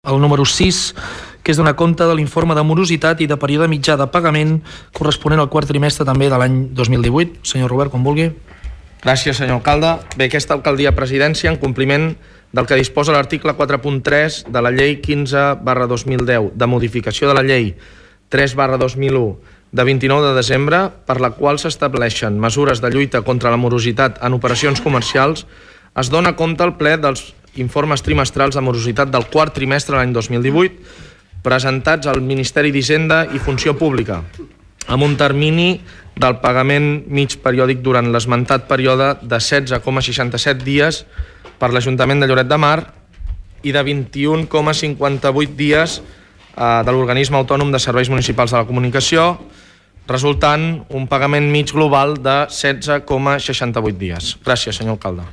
el número 6, que és donar compte de l'informe de morositat i de període mitjà de pagament corresponent al quart trimestre també de l'any 2018. Senyor Robert, quan vulgui. Gràcies, senyor alcalde. Bé, aquesta alcaldia presidència, en compliment del que disposa l'article 4.3 de la llei 15/2010 de modificació de la llei 3/2001 de 29 de desembre, per la qual s'estableixen mesures de lluita contra la morositat en operacions comercials, es dona compte al ple dels informes trimestrals de morositat del quart trimestre de l'any 2018 presentats al Ministeri d'Hisenda i Funció Pública, amb un termini del pagament mig periòdic durant l'esmentat període de 16,67 dies per l'Ajuntament de Lloret de Mar i de 21,58 dies de l'Organisme Autònom de Serveis Municipals de la Comunicació, resultant un pagament mig global de 16,68 dies. Gràcies, senyor alcalde.